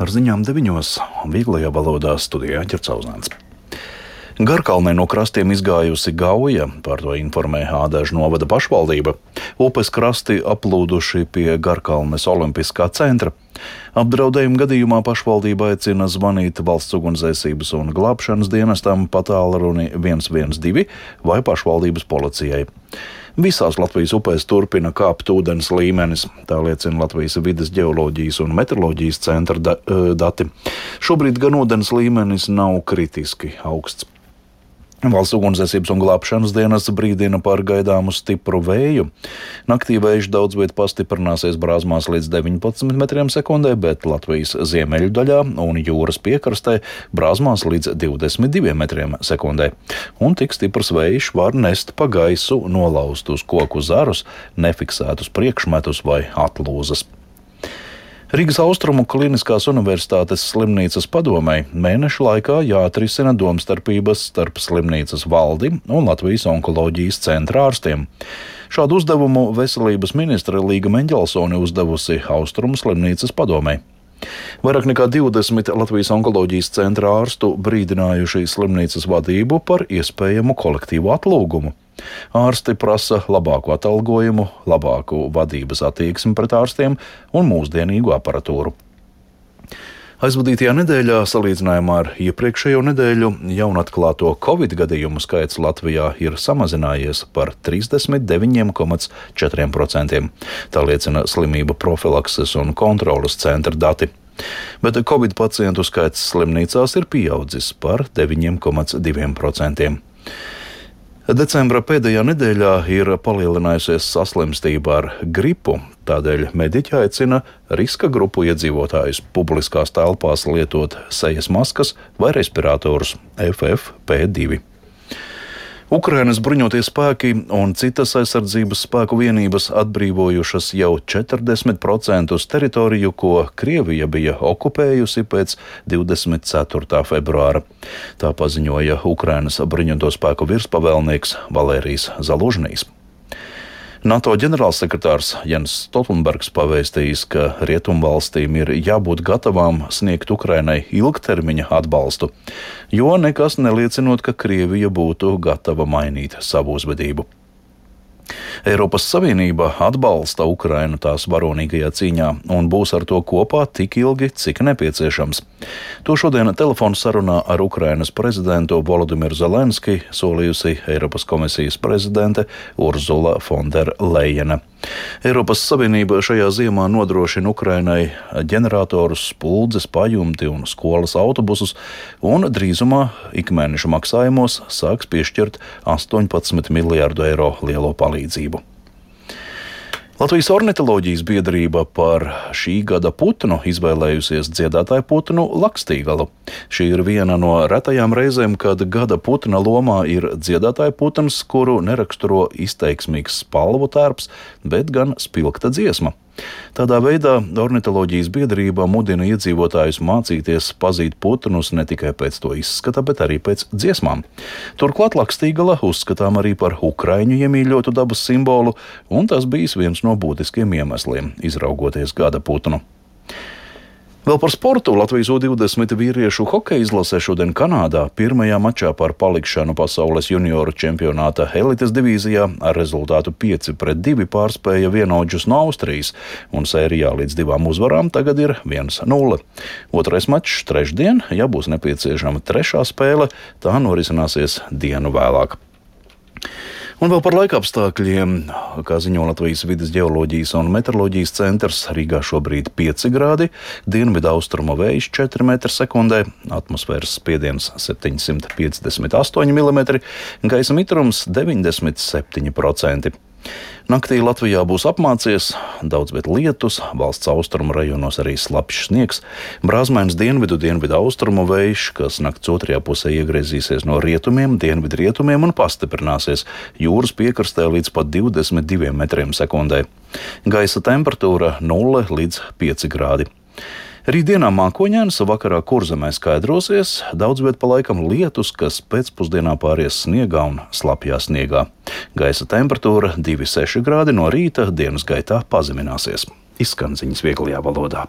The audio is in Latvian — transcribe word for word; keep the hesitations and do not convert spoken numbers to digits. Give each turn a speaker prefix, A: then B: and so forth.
A: Ar ziņām deviņos vieglajā valodā studijā Ķercauzāns. Garkalnē no krastiem izgājusi gauja, par to informē Ādažu novada pašvaldība. Upes krasti aplūduši pie Garkalnes olimpiskā centra. Apdraudējuma gadījumā pašvaldība aicina zvanīt valsts ugunsdzēsības un glābšanas dienestam pa tālruni viens viens divi vai pašvaldības policijai. Visās Latvijas upēs turpina kāpt ūdens līmenis, tā liecina Latvijas vides ģeoloģijas un meteoroloģijas centra da, dati. Šobrīd gan ūdens līmenis nav kritiski augsts. Valsts ugunsdzēsības un glābšanas dienests brīdina par gaidāmu stipru vēju. Naktī vējš daudz viet pastiprināsies Brāzmās līdz deviņpadsmit metriem sekundē, bet Latvijas ziemeļu daļā un jūras piekrastē Brāzmās līdz divdesmit diviem metriem sekundē. Un tik stiprs vējš var nest pa gaisu nolaustus koku zarus, nefiksētus priekšmetus vai atlūzas. Rīgas Austrumu Kliniskās universitātes slimnīcas padomei mēnešu laikā jāatrisina domstarpības starp slimnīcas valdi un Latvijas onkoloģijas centra ārstiem. Šādu uzdevumu veselības ministre Līga Meņģelsone uzdevusi Austrumu slimnīcas padomei. Vairāk nekā divdesmit Latvijas onkoloģijas centra ārstu brīdinājuši slimnīcas vadību par iespējamu kolektīvu atlūgumu. Ārsti prasa labāku atalgojumu, labāku vadības attieksmi pret ārstiem un mūsdienīgu aparatūru. Aizvadītajā nedēļā, salīdzinājumā ar iepriekšējo nedēļu, jaunatklāto covid gadījumu skaits Latvijā ir samazinājies par trīsdesmit deviņi komats četri procenti. Tā liecina slimību profilakses un kontroles centra dati. Bet covid pacientu skaits slimnīcās ir pieaudzis par deviņi komats divi procenti. Decembra pēdējā nedēļā ir palielinājusies saslimstība ar gripu, tādēļ mediķi aicina riska grupu iedzīvotājus publiskās telpās lietot sejas maskas vai respiratorus F F P divi. Ukrainas bruņotie spēki un citas aizsardzības spēku vienības atbrīvojušas jau četrdesmit procentus teritoriju, ko Krievija bija okupējusi pēc divdesmit ceturtā februāra. Tā paziņoja Ukrainas bruņoto spēku virspavēlnieks Valērijs Zalužnijs. NATO ģenerālsekretārs Jens Stoltenbergs pavēstījis, ka rietumvalstīm ir jābūt gatavām sniegt Ukrainai ilgtermiņa atbalstu, jo nekas neliecinot, ka Krievija būtu gatava mainīt savu uzvedību. Eiropas Savienība atbalsta Ukrainu tās varonīgajā cīņā un būs ar to kopā tik ilgi, cik nepieciešams. To šodien telefonu sarunā ar Ukrainas prezidentu Volodimiru Zelenski solījusi Eiropas komisijas prezidente Urzula von der Leyene. Eiropas Savienība šajā ziemā nodrošina Ukrainai ģeneratorus, spuldzi, pajumti un skolas autobusus, un drīzumā ikmēneša maksājumos sāks piešķirt astoņpadsmit miljārdu eiro lielo palīdzību. Latvijas ornitoloģijas biedrība par šī gada putnu izvēlējusies dziedātāju putnu lakstīgalu. Šī ir viena no retajām reizēm, kad gada putna lomā ir dziedātāju putns, kuru neraksturo izteiksmīgs spalvu tērps, bet gan spilgta dziesma. Tādā veidā ornitoloģijas biedrība mudina iedzīvotājus mācīties pazīt putnus ne tikai pēc to izskata, bet arī pēc dziesmām. Turklāt lakstīgala uzskatām arī par ukraiņu iemīļotu dabas simbolu, un tas bijis viens no būtiskiem iemesliem, izraugoties gada putnu. Vēl par sportu. Latvijas U divdesmit vīriešu hokeja izlase šodien Kanādā pirmajā mačā par palikšanu pasaules junioru čempionāta elites divīzijā ar rezultātu pieci pret divi pārspēja vienaudžus no Austrijas, un sērijā līdz divām uzvarām tagad ir viens nulle. Otrais mačs trešdien, ja būs nepieciešama trešā spēle, tā norisināsies dienu vēlāk. Un vēl par laikapstākļiem, kā ziņo Latvijas vides ģeoloģijas un meteoroloģijas centrs, Rīgā šobrīd pieci grādi, dienvidu austrumu vējš četri metri sekundē, atmosfēras spiediens septiņsimt piecdesmit astoņi milimetri, gaisa mitrums deviņdesmit septiņi procenti. Naktī Latvijā būs apmācies, daudz viet lietus, valsts austrumu rajonos arī slapjš sniegs, brāzmains dienvidu dienvidu austrumu vējš, kas nakts otrajā pusē iegriezīsies no rietumiem, dienvidu rietumiem un pastiprināsies jūras piekrastē līdz pat divdesmit diviem metriem sekundē. Gaisa temperatūra nulle līdz pieci grādi. Rītdienā mākoņains, vakarā Kurzemē skaidrosies, daudz viet pa laikam lietus, kas pēcpusdienā pāries sniegā un slapjā sniegā. Gaisa temperatūra divi seši grādi, no rīta dienas gaitā pazemināsies. Izskan ziņas vieglajā valodā.